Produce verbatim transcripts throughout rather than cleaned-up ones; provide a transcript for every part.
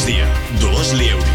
migdia, Dolors Lieuri.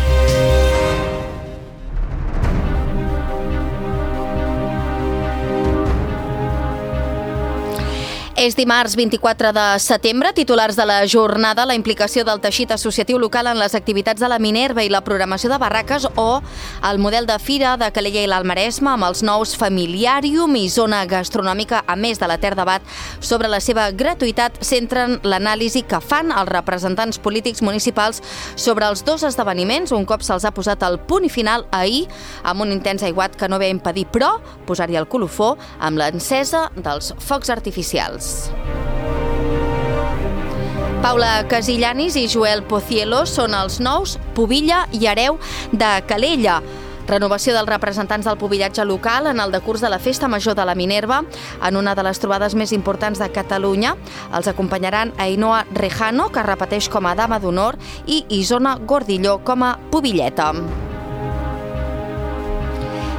És dimarts vint-i-quatre de setembre, titulars de la jornada, la implicació del teixit associatiu local en les activitats de la Minerva i la programació de barraques o el model de fira de Calella i l'Alt Maresme amb els nous familiàrium i zona gastronòmica, a més de l'etern debat sobre la seva gratuïtat, centren l'anàlisi que fan els representants polítics municipals sobre els dos esdeveniments, un cop se'ls ha posat el punt i final ahir amb un intens aiguat que no ve a impedir, però, posar-hi el colofó amb l'encesa dels focs artificials. Paula Casillanis i Joel Pocielo són els nous pubilla i hereu de Calella. Renovació dels representants del pubillatge local en el decurs de la Festa Major de la Minerva, en una de les trobades més importants de Catalunya. Els acompanyaran Ainhoa Rejano, que repeteix com a dama d'honor, i Isona Gordilló com a pubilleta.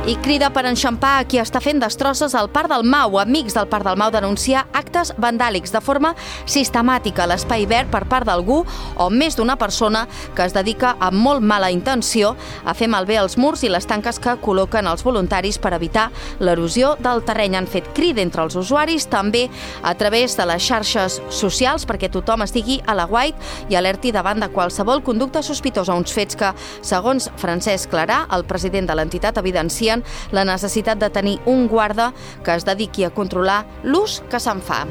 I crida per enxampar a qui està fent destrosses al Parc del Mau. Amics del Parc del Mau denunciar actes vandàlics de forma sistemàtica a l'espai verd per part d'algú o més d'una persona que es dedica amb molt mala intenció a fer malbé els murs i les tanques que col·loquen els voluntaris per evitar l'erosió del terreny. Han fet crida entre els usuaris, també a través de les xarxes socials, perquè tothom estigui a l'aguait i alerti davant de qualsevol conducta sospitosa. Uns fets que, segons Francesc Clarà, el president de l'entitat, evidencia la necessitat de tenir un guarda que es dediqui a controlar l'ús que se'n fa.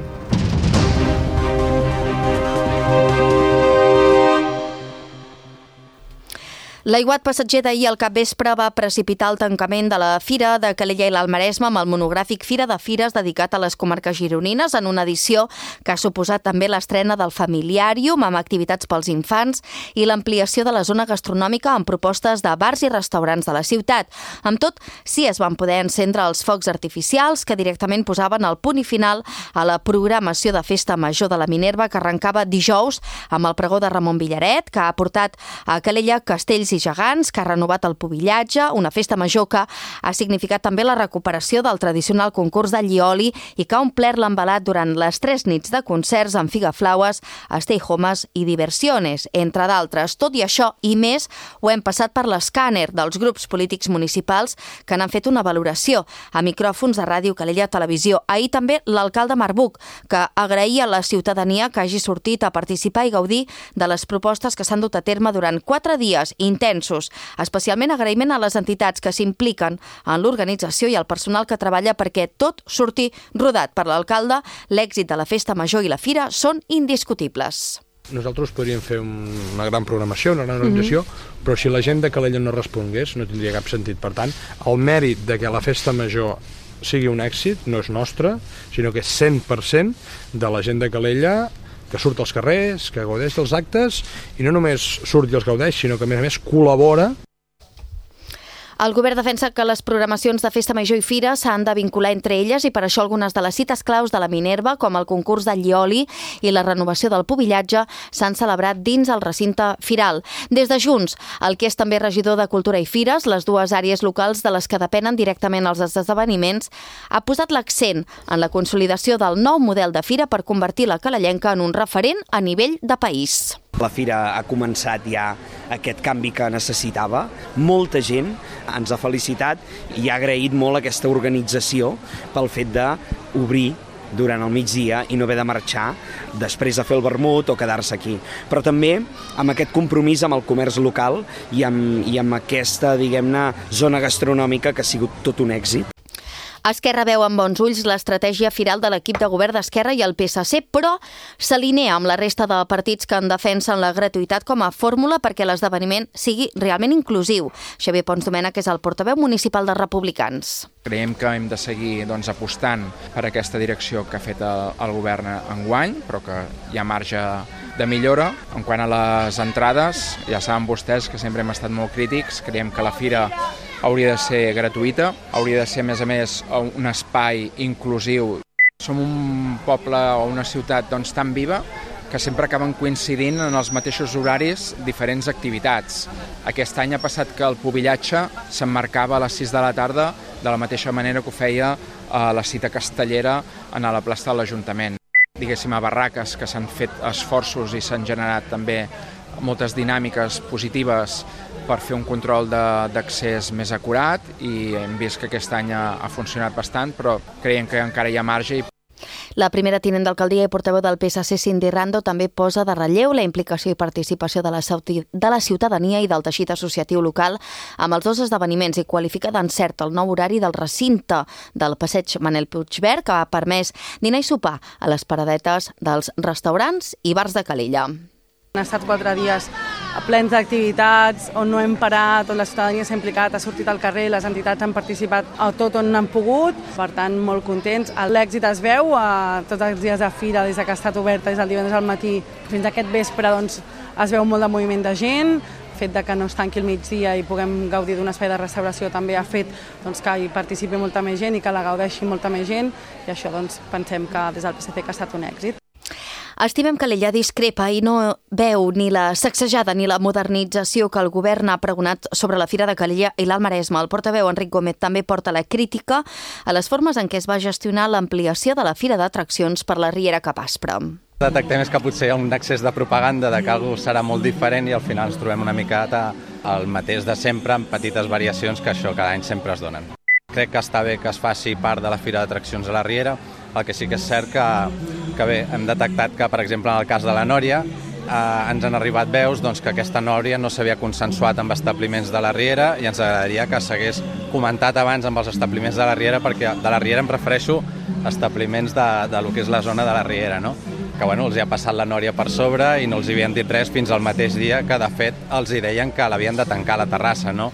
L'aiguat passatger d'ahir al capvespre va precipitar el tancament de la Fira de Calella i l'Alt Maresme amb el monogràfic Fira de Fires dedicat a les comarques gironines, en una edició que ha suposat també l'estrena del familiàrium amb activitats pels infants i l'ampliació de la zona gastronòmica amb propostes de bars i restaurants de la ciutat. Amb tot, sí es van poder encendre els focs artificials que directament posaven el punt i final a la programació de Festa Major de la Minerva, que arrencava dijous amb el pregó de Ramon Villaret, que ha portat a Calella castells i gegants, que ha renovat el pubillatge, una festa major que ha significat també la recuperació del tradicional concurs de Llioli i que ha omplert l'embalat durant les tres nits de concerts amb Figaflaues, Stay Homes i Diversiones, entre d'altres. Tot i això i més, ho hem passat per l'escàner dels grups polítics municipals que n'han fet una valoració a micròfons de Ràdio Calella Televisió. Ahir també l'alcalde Marbuc, que agraïa a la ciutadania que hagi sortit a participar i gaudir de les propostes que s'han dut a terme durant quatre dies intensos. Especialment agraïment a les entitats que s'impliquen en l'organització i al personal que treballa perquè tot surti rodat per l'alcalde. L'èxit de la Festa Major i la Fira són indiscutibles. Nosaltres podríem fer una gran programació, una gran organització, mm-hmm. però si la gent de Calella no respongués no tindria cap sentit. Per tant, el mèrit de que la Festa Major sigui un èxit no és nostre, sinó que és cent per cent de la gent de Calella que surt als carrers, que gaudeix dels actes, i no només surt i els gaudeix, sinó que a més a més col·labora. El govern defensa que les programacions de Festa Major i Fira s'han de vincular entre elles i per això algunes de les cites claus de la Minerva, com el concurs de Llioli i la renovació del pubillatge, s'han celebrat dins el recinte firal. Des de Junts, el que és també regidor de Cultura i Fires, les dues àrees locals de les que depenen directament els esdeveniments, ha posat l'accent en la consolidació del nou model de fira per convertir la calellenca en un referent a nivell de país. La Fira ha començat ja aquest canvi que necessitava. Molta gent ens ha felicitat i ha agraït molt aquesta organització pel fet d'obrir durant el migdia i no haver de marxar després de fer el vermut o quedar-se aquí. Però també amb aquest compromís amb el comerç local i amb, i amb aquesta, diguem-ne, zona gastronòmica que ha sigut tot un èxit. Esquerra veu amb bons ulls l'estratègia firal de l'equip de govern d'Esquerra i el P S C, però s'alinea amb la resta de partits que en defensen la gratuïtat com a fórmula perquè l'esdeveniment sigui realment inclusiu. Xavier Pons Domènech és el portaveu municipal dels Republicans. Creiem que hem de seguir doncs, apostant per aquesta direcció que ha fet el, el govern enguany, però que hi ha marge de millora. En quant a les entrades, ja saben vostès que sempre hem estat molt crítics. Creiem que la fira hauria de ser gratuïta, hauria de ser, a més a més, un espai inclusiu. Som un poble o una ciutat doncs, tan viva que sempre acaben coincidint en els mateixos horaris diferents activitats. Aquest any ha passat que el pubillatge s'emmarcava a les sis de la tarda de la mateixa manera que ho feia a la cita castellera a la plaça de l'Ajuntament. Diguéssim, a barraques que s'han fet esforços i s'han generat també moltes dinàmiques positives per fer un control d'accés més acurat i hem vist que aquest any ha, ha funcionat bastant, però creiem que encara hi ha marge. La primera tinent d'alcaldia i portaveu del P S C, Cindy Rando, també posa de relleu la implicació i participació de la, de la ciutadania i del teixit associatiu local amb els dos esdeveniments i qualifica d'encert el nou horari del recinte del passeig Manel Puigverd, que ha permès dinar i sopar a les paradetes dels restaurants i bars de Calella. Han estat quatre dies plens d'activitats on no hem parat, on la ciutadania s'ha implicat, ha sortit al carrer, les entitats han participat a tot on han pogut, per tant molt contents. L'èxit es veu a tots els dies de fira, des que ha estat oberta, des del divendres al matí fins a aquest vespre, doncs, es veu molt de moviment de gent. El fet de que no es tanqui el migdia i puguem gaudir d'un espai de restauració també ha fet doncs, que hi participi molta més gent i que la gaudeixi molta més gent, i això doncs, pensem que des del P S C que ha estat un èxit. Estimem Calella discrepa i no veu ni la sacsejada ni la modernització que el govern ha pregonat sobre la Fira de Calella i l'Alt Maresme. El portaveu Enric Gómez també porta la crítica a les formes en què es va gestionar l'ampliació de la Fira d'Atraccions per la Riera Cap Aspre. Detectem que potser hi ha un excés de propaganda de que alguna cosa serà molt diferent i al final ens trobem una miqueta al mateix de sempre amb petites variacions que això cada any sempre es donen. Crec que està bé que es faci part de la Fira d'Atraccions a la Riera, el que sí que és cert que, que bé, hem detectat que, per exemple, en el cas de la Nòria, eh, ens han arribat veus doncs, que aquesta Nòria no s'havia consensuat amb establiments de la Riera i ens agradaria que s'hagués comentat abans amb els establiments de la Riera, perquè de la Riera em refereixo a establiments de, de lo que és la zona de la Riera, no? Que bueno, els hi ha passat la Nòria per sobre i no els hi havien dit res fins al mateix dia que, de fet, els hi deien que l'havien de tancar a la terrassa, no?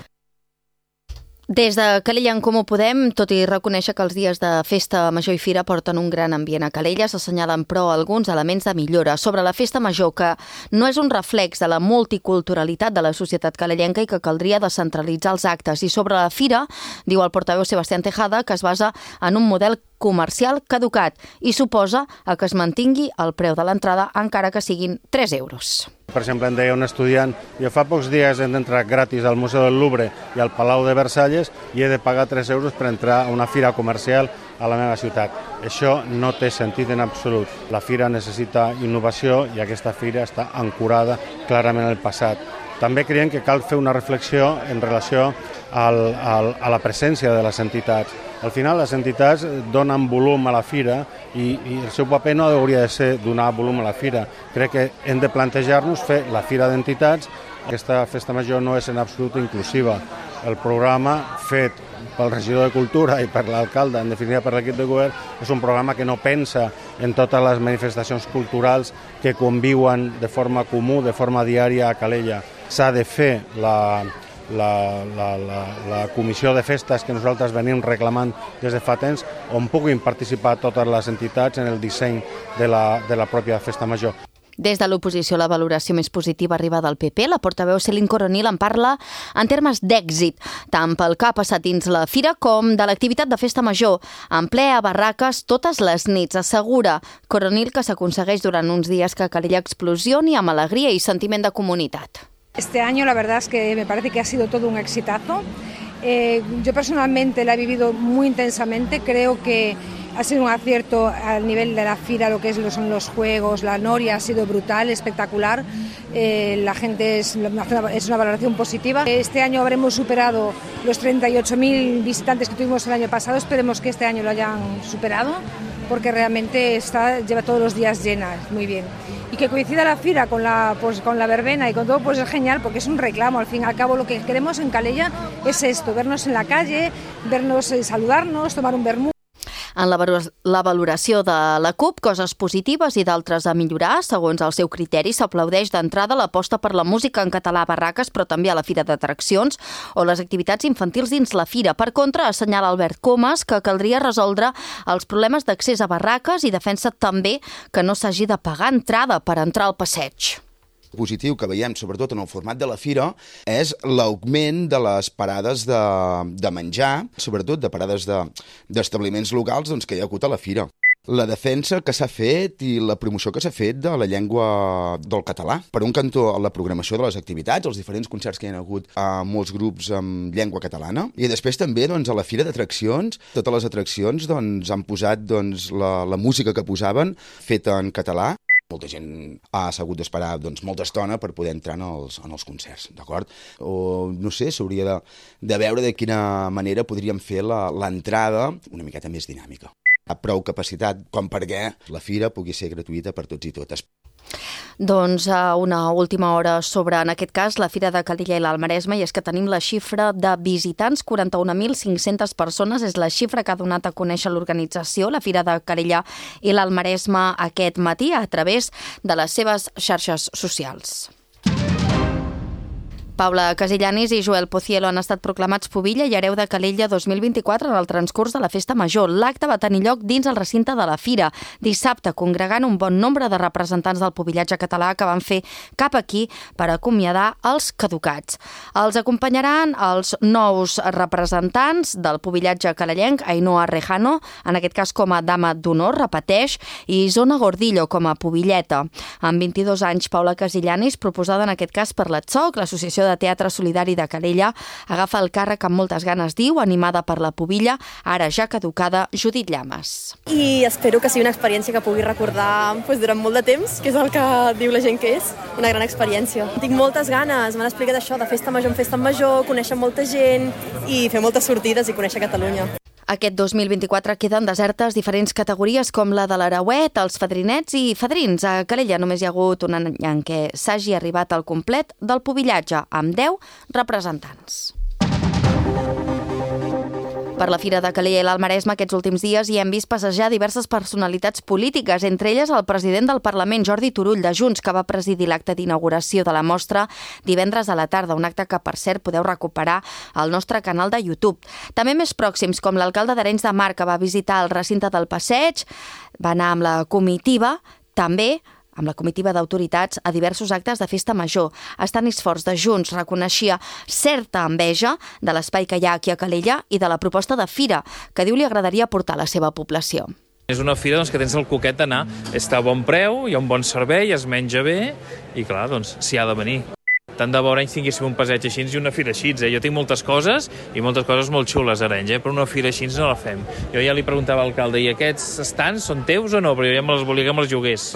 Des de Calella en Comú Podem, tot i reconèixer que els dies de festa major i fira porten un gran ambient a Calella, s'assenyalen però alguns elements de millora. Sobre la festa major, que no és un reflex de la multiculturalitat de la societat calellenca i que caldria descentralitzar els actes. I sobre la fira, diu el portaveu Sebastián Tejada, que es basa en un model comercial caducat i suposa que es mantingui el preu de l'entrada encara que siguin tres euros. Per exemple, em deia un estudiant, jo fa pocs dies he d'entrar gratis al Museu del Louvre i al Palau de Versalles i he de pagar tres euros per entrar a una fira comercial a la meva ciutat. Això no té sentit en absolut. La fira necessita innovació i aquesta fira està ancorada clarament en el passat. També creiem que cal fer una reflexió en relació al, al, a la presència de les entitats. Al final, les entitats donen volum a la fira i, i el seu paper no hauria de ser donar volum a la fira. Crec que hem de plantejar-nos fer la fira d'entitats. Aquesta festa major no és en absolut inclusiva. El programa fet pel regidor de Cultura i per l'alcalde, en definitiva per l'equip de govern, és un programa que no pensa en totes les manifestacions culturals que conviuen de forma comú, de forma diària a Calella. S'ha de fer la... La, la, la, la comissió de festes que nosaltres venim reclamant des de fa temps, on puguin participar totes les entitats en el disseny de la, de la pròpia festa major. Des de l'oposició, la valoració més positiva arriba del P P. La portaveu Céline Coronil en parla en termes d'èxit, tant pel que ha passat dins la fira com de l'activitat de festa major, en ple a barraques totes les nits. Assegura Coronil que s'aconsegueix durant uns dies que Calella explosioni amb alegria i sentiment de comunitat. Este año la verdad es que me parece que ha sido todo un exitazo. Eh, yo personalmente la he vivido muy intensamente, creo que ha sido un acierto al nivel de la fira, lo que es, lo son los juegos, la noria ha sido brutal, espectacular, eh, la gente es, es una valoración positiva. Este año habremos superado los treinta y ocho mil visitantes que tuvimos el año pasado, esperemos que este año lo hayan superado, porque realmente está, lleva todos los días llena, muy bien. Y que coincida la fira con la, pues, con la verbena y con todo, pues es genial, porque es un reclamo. Al fin y al cabo, lo que queremos en Calella es esto, vernos en la calle, vernos, eh, saludarnos, tomar un vermut. En la, la valoració de la CUP, coses positives i d'altres a millorar. Segons el seu criteri, s'aplaudeix d'entrada l'aposta per la música en català a barraques, però també a la Fira d'Atraccions, o les activitats infantils dins la fira. Per contra, assenyala Albert Comas que caldria resoldre els problemes d'accés a barraques i defensa també que no s'hagi de pagar entrada per entrar al passeig. Positiu que veiem, sobretot en el format de la fira, és l'augment de les parades de, de menjar, sobretot de parades d'establiments de, locals doncs, que hi ha hagut a la fira. La defensa que s'ha fet i la promoció que s'ha fet de la llengua del català. Per un cantó, la programació de les activitats, els diferents concerts que hi ha hagut a molts grups amb llengua catalana. I després també doncs, a la Fira d'Atraccions, totes les atraccions doncs, han posat doncs, la, la música que posaven feta en català. Molta gent ha hagut d'esperar doncs, molta estona per poder entrar en els, en els concerts, d'acord? O, no sé, s'hauria de, de veure de quina manera podríem fer l'entrada una miqueta més dinàmica. Ha prou capacitat com perquè la fira pugui ser gratuïta per tots i totes. Doncs una última hora sobre, en aquest cas, la Fira de Calella i l'Alt Maresme, i és que tenim la xifra de visitants, quaranta-un mil cinc-centes persones, és la xifra que ha donat a conèixer l'organització, la Fira de Calella i l'Alt Maresme, aquest matí a través de les seves xarxes socials. Paula Casillanis i Joel Pocielo han estat proclamats pubilla i hereu de Calella dos mil vint-i-quatre en el transcurs de la Festa Major. L'acte va tenir lloc dins el recinte de la Fira, dissabte, congregant un bon nombre de representants del pubillatge català que van fer cap aquí per acomiadar els caducats. Els acompanyaran els nous representants del pubillatge calellenc, Ainhoa Rejano, en aquest cas com a dama d'honor, repeteix, i Isona Gordillo com a pubilleta. Amb vint-i-dos anys, Paula Casillanis, proposada en aquest cas per l'A T S O C, l'Associació de Teatre Solidari de Calella, agafa el càrrec amb moltes ganes, diu, animada per la pubilla, ara ja caducada, Judit Llames. I espero que sigui una experiència que pugui recordar pues, durant molt de temps, que és el que diu la gent que és, una gran experiència. Tinc moltes ganes, m'han explicat això de festa major en festa major, conèixer molta gent i fer moltes sortides i conèixer Catalunya. Aquest dos mil vint-i-quatre queden desertes diferents categories com la de l'Arauet, els fadrinets i fadrins. A Calella només hi ha hagut un any en què s'hagi arribat al complet del pubillatge, amb deu representants. Per la Fira de Calella i l'Alt Maresme aquests últims dies hi hem vist passejar diverses personalitats polítiques, entre elles el president del Parlament, Jordi Turull, de Junts, que va presidir l'acte d'inauguració de la mostra divendres a la tarda, un acte que, per cert, podeu recuperar al nostre canal de YouTube. També més pròxims, com l'alcalde d'Arenys de Mar, que va visitar el recinte del Passeig, va anar amb la comitiva, també amb la comitiva d'autoritats a diversos actes de festa major. Estanis Forts de Junts reconeixia certa enveja de l'espai que hi ha aquí a Calella i de la proposta de fira, que diu li agradaria portar a la seva població. És una fira doncs, que tens el coquet d'anar, està a bon preu, hi ha un bon servei, es menja bé i clar, doncs s'hi ha de venir. Tant de bo Arenys tinguéssim un passeig així i una fira així. Eh? Jo tinc moltes coses i moltes coses molt xules a Arenys, eh? però una fira així no la fem. Jo ja li preguntava al alcalde, i aquests estants són teus o no? Però jo ja me les volia que me els llogués.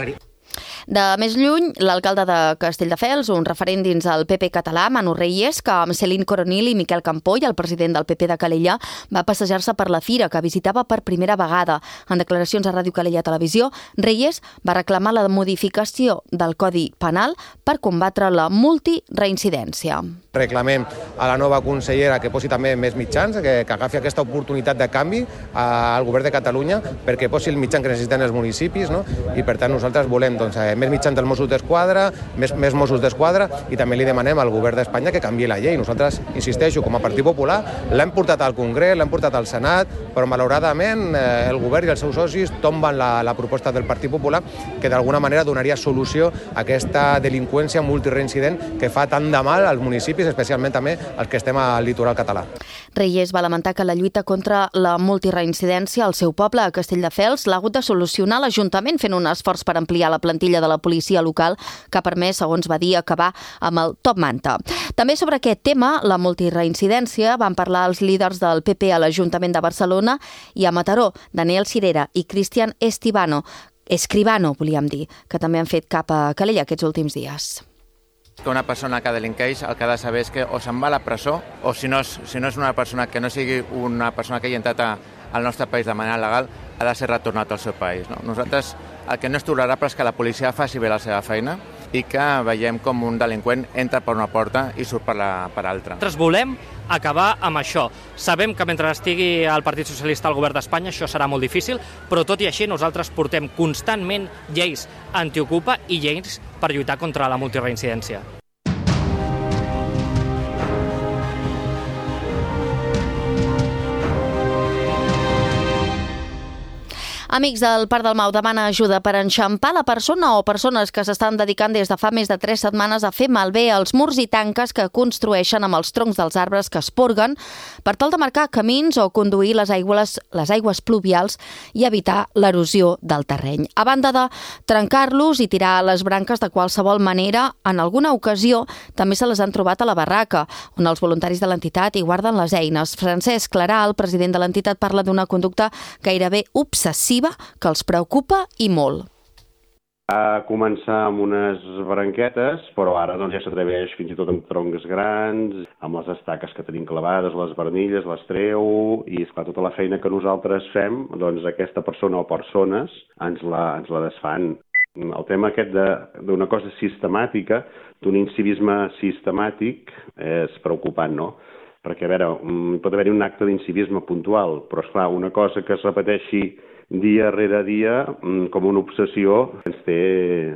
De més lluny, l'alcalde de Castelldefels, un referent dins el P P català, Manu Reyes, que amb Céline Coronil i Miquel Campoy, el president del P P de Calella, va passejar-se per la fira, que visitava per primera vegada. En declaracions a Ràdio Calella Televisió, Reyes va reclamar la modificació del Codi Penal per combatre la multireincidència. Reclamem a la nova consellera que posi també més mitjans, que, que agafi aquesta oportunitat de canvi al govern de Catalunya perquè posi el mitjan que necessiten els municipis, no? I per tant nosaltres volem doncs, més mitjans dels Mossos d'Esquadra, més, més Mossos d'Esquadra, i també li demanem al govern d'Espanya que canviï la llei. Nosaltres, insisteixo, com a Partit Popular, l'hem portat al Congrés, l'hem portat al Senat, però malauradament eh, el govern i els seus socis tomben la, la proposta del Partit Popular, que d'alguna manera donaria solució a aquesta delinqüència multireincident que fa tant de mal als municipis, especialment també els que estem al litoral català. Reyes va lamentar que la lluita contra la multireincidència al seu poble, a Castelldefels, l'ha hagut de solucionar l'Ajuntament fent un esforç per ampliar la plantilla de la policia local, que ha permès, segons va dir, acabar amb el top manta. També sobre aquest tema, la multireincidència, van parlar els líders del P P a l'Ajuntament de Barcelona i a Mataró, Daniel Cirera i Cristian Estivano, Escribano, volíem dir, que també han fet cap a Calella aquests últims dies. Que una persona que delinqueix el que ha de saber és que o se'n va a la presó o si no és, si no és una persona que no sigui una persona que hagi entrat a, al nostre país de manera legal, ha de ser retornat al seu país. No? Nosaltres el que no és tolerable és que la policia faci bé la seva feina i que veiem com un delinqüent entra per una porta i surt per, la, per altra. Nosaltres volem acabar amb això. Sabem que mentre estigui el Partit Socialista al govern d'Espanya això serà molt difícil, però tot i així nosaltres portem constantment lleis antiocupa i lleis per lluitar contra la multireincidència. Amics del Parc del Mau demana ajuda per enxampar la persona o persones que s'estan dedicant des de fa més de tres setmanes a fer malbé els murs i tanques que construeixen amb els troncs dels arbres que es porguen per tal de marcar camins o conduir les aigües, les aigües pluvials i evitar l'erosió del terreny. A banda de trencar-los i tirar les branques de qualsevol manera, en alguna ocasió també se les han trobat a la barraca, on els voluntaris de l'entitat hi guarden les eines. Francesc Clarà, el president de l'entitat, parla d'una conducta gairebé obsessiva que els preocupa i molt. Va començar amb unes branquetes, però ara doncs, ja s'atreveix fins i tot amb troncs grans, amb les estaques que tenim clavades, les barnilles, les treu, i esclar, tota la feina que nosaltres fem, doncs aquesta persona o persones ens la, ens la desfan. El tema aquest d'una cosa sistemàtica, d'un incivisme sistemàtic, és preocupant, no? Perquè, a veure, pot haver-hi un acte d'incivisme puntual, però, esclar, una cosa que es repeteixi dia rere dia, com una obsessió, ens té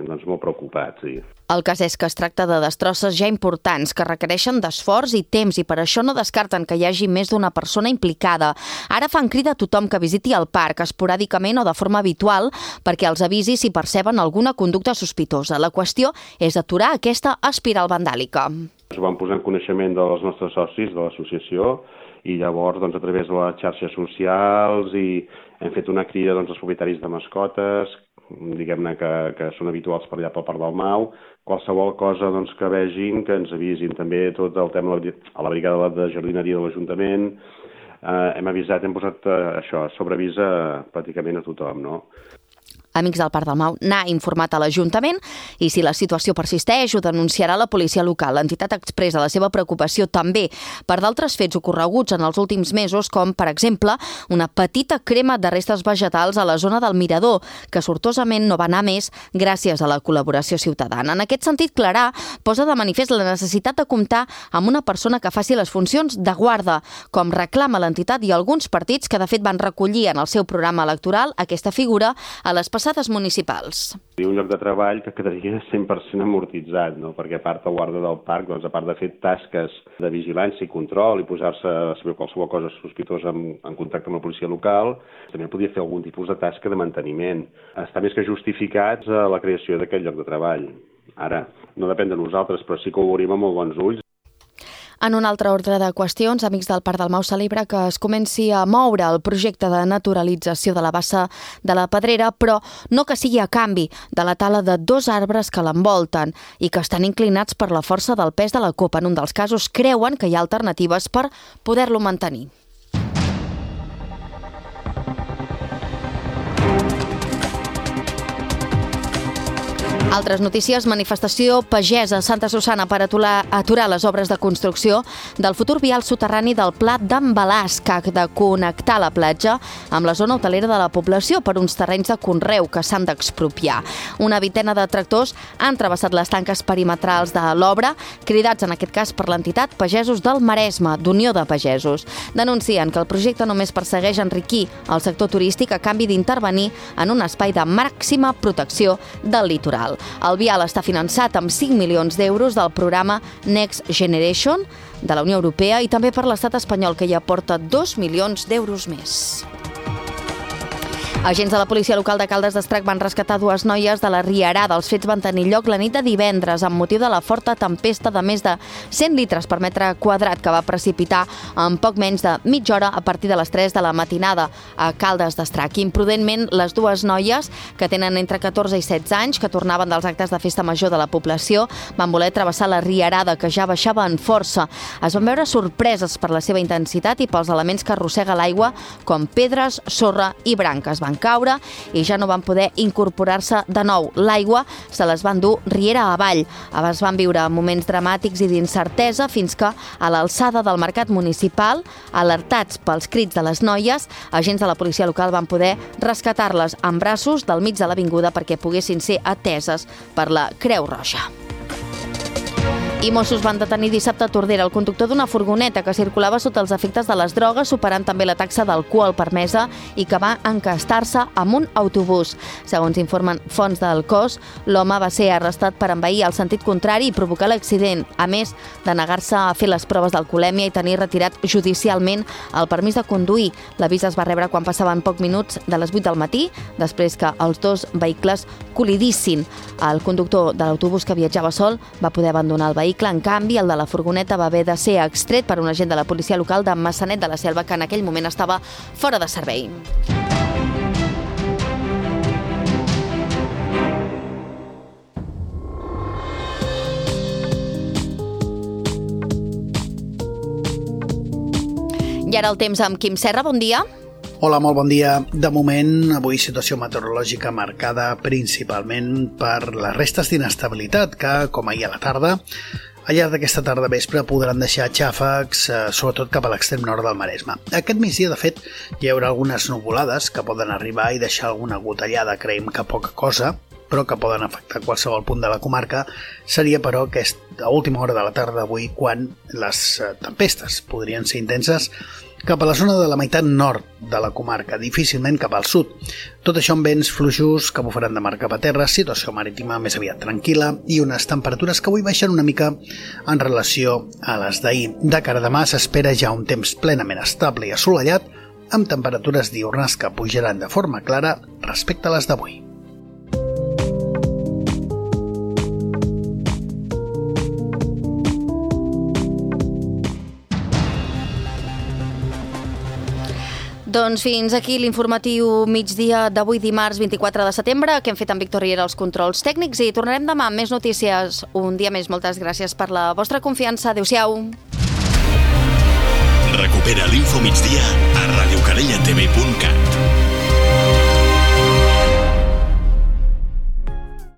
doncs, molt preocupats. Sí. El cas és que es tracta de destrosses ja importants que requereixen d'esforç i temps i per això no descarten que hi hagi més d'una persona implicada. Ara fan crida a tothom que visiti el parc esporàdicament o de forma habitual perquè els avisi si perceben alguna conducta sospitosa. La qüestió és aturar aquesta espiral vandàlica. Ens ho vam posar en coneixement dels nostres socis de l'associació i llavors doncs, a través de les xarxes socials i hem fet una crida doncs, als propietaris de mascotes, diguem-ne que, que són habituals per allà pel Parc del Mau, qualsevol cosa doncs, que vegin, que ens avisin. També tot el tema a la brigada de jardineria de l'Ajuntament, eh, hem avisat, hem posat eh, això, sobreavís a pràcticament a tothom, no? Amics del Parc del Mau n'ha informat a l'Ajuntament i si la situació persisteix ho denunciarà la policia local. L'entitat expressa la seva preocupació també per d'altres fets ocorreguts en els últims mesos, com, per exemple, una petita crema de restes vegetals a la zona del Mirador, que sortosament no va anar més gràcies a la col·laboració ciutadana. En aquest sentit, Clarà posa de manifest la necessitat de comptar amb una persona que faci les funcions de guarda, com reclama l'entitat i alguns partits que, de fet, van recollir en el seu programa electoral aquesta figura a les passades municipals. Un lloc de treball que quedaria cent per cent amortitzat, no? Perquè a part el guarda del parc, doncs, a part de fer tasques de vigilància i control i posar-se a saber qualsevol cosa sospitosa en, en contacte amb la policia local, també podria fer algun tipus de tasca de manteniment. Està més que justificat la creació d'aquest lloc de treball. Ara, no depèn de nosaltres, però sí que ho veuríem amb molt bons ulls. En un altre ordre de qüestions, Amics del Parc del Mau celebra que es comenci a moure el projecte de naturalització de la bassa de la Pedrera, però no que sigui a canvi de la tala de dos arbres que l'envolten i que estan inclinats per la força del pes de la copa. En un dels casos creuen que hi ha alternatives per poder-lo mantenir. Altres notícies, manifestació pagesa a Santa Susanna per aturar, aturar les obres de construcció del futur vial soterrani del Pla d'en Balasc, que ha de connectar la platja amb la zona hotelera de la població per uns terrenys de conreu que s'han d'expropiar. Una vintena de tractors han travessat les tanques perimetrals de l'obra, cridats en aquest cas per l'entitat Pagesos del Maresme, d'Unió de Pagesos. Denuncien que el projecte només persegueix enriquir el sector turístic a canvi d'intervenir en un espai de màxima protecció del litoral. El vial està finançat amb cinc milions d'euros del programa Next Generation de la Unió Europea i també per l'estat espanyol, que hi aporta dos milions d'euros més. Agents de la policia local de Caldes d'Estrac van rescatar dues noies de la Rierada. Els fets van tenir lloc la nit de divendres amb motiu de la forta tempesta de més de cent litres per metre quadrat que va precipitar en poc menys de mitja hora a partir de les tres de la matinada a Caldes d'Estrac. Imprudentment, les dues noies, que tenen entre catorze i setze anys, que tornaven dels actes de festa major de la població, van voler travessar la Rierada, que ja baixava en força. Es van veure sorpreses per la seva intensitat i pels elements que arrossega l'aigua, com pedres, sorra i branques. Van caure i ja no van poder incorporar-se de nou. L'aigua se les van dur riera avall. Es van viure moments dramàtics i d'incertesa fins que, a l'alçada del mercat municipal, alertats pels crits de les noies, agents de la policia local van poder rescatar-les en braços del mig de l'avinguda perquè poguessin ser ateses per la Creu Roja. I Mossos van detenir dissabte a Tordera el conductor d'una furgoneta que circulava sota els efectes de les drogues, superant també la taxa d'alcohol permesa i que va encastar-se amb un autobús. Segons informen fonts del cos, l'home va ser arrestat per envair el sentit contrari i provocar l'accident, a més de negar-se a fer les proves d'alcoholèmia i tenir retirat judicialment el permís de conduir. L'avís es va rebre quan passaven pocs minuts de les vuit del matí, després que els dos vehicles col·lidissin. El conductor de l'autobús que viatjava sol va poder abandonar el vehicle. En canvi, el de la furgoneta va haver de ser extret per un agent de la policia local de Massanet de la Selva, que en aquell moment estava fora de servei. I ara el temps amb Quim Serra, bon dia. Hola, molt bon dia. De moment, avui situació meteorològica marcada principalment per les restes d'inestabilitat que, com ahir a la tarda, al llarg d'aquesta tarda vespre podran deixar xàfecs, eh, sobretot cap a l'extrem nord del Maresme. Aquest migdia, de fet, hi haurà algunes nuvolades que poden arribar i deixar alguna gotellada, creiem que poca cosa, però que poden afectar qualsevol punt de la comarca. Seria, però, aquesta última hora de la tarda d'avui quan les tempestes podrien ser intenses cap a la zona de la meitat nord de la comarca, difícilment cap al sud. Tot això amb vents fluixos que bufaran de mar cap a terra, situació marítima més aviat tranquil·la i unes temperatures que avui baixen una mica en relació a les d'ahir. De cara a demà s'espera ja un temps plenament estable i assolellat, amb temperatures diürnes que pujaran de forma clara respecte a les d'avui. Doncs fins aquí l'informatiu migdia d'avui dimarts vint-i-quatre de setembre, que hem fet amb Víctor Riera els controls tècnics, i tornarem demà amb més notícies. Un dia més, moltes gràcies per la vostra confiança. Adéu-siau. Recupera l'Info Migdia a radiocalellatv punt cat.